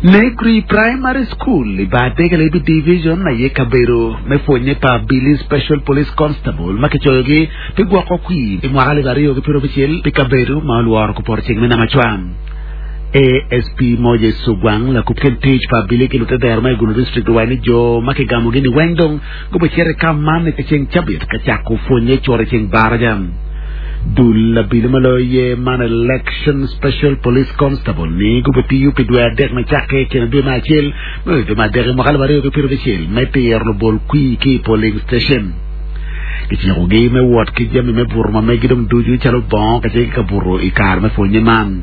Negri Primary School i bar Degelebi Division aye kabedo me pwonye pa abili Special Police Constable ma kicoyogi pi gwoko kwir i mwaka 2026 pi kabedo ma olworo kupoto ceng me Namacwa. ASP Moses Ogwang, lakub kin tic pa abili ki lutedero ma i Gulu District owaco ni jo ma kigamogi ni weng dong gubicito i kam man i ceng cabit ka cako pwonye cito i ceng baraja. Dul abili ma loyo ye man Election Special Police Constable ni gubitiyo pi dwe adek me cakke i kine dwe me acel me dwe me adek i mwaka 2026 me tiro lubol kwir ki i polling station. Kicikogi me wot ki jami me buto ma megi dong ducu calo bongo kacel ki kabuto i kare me pwonye man.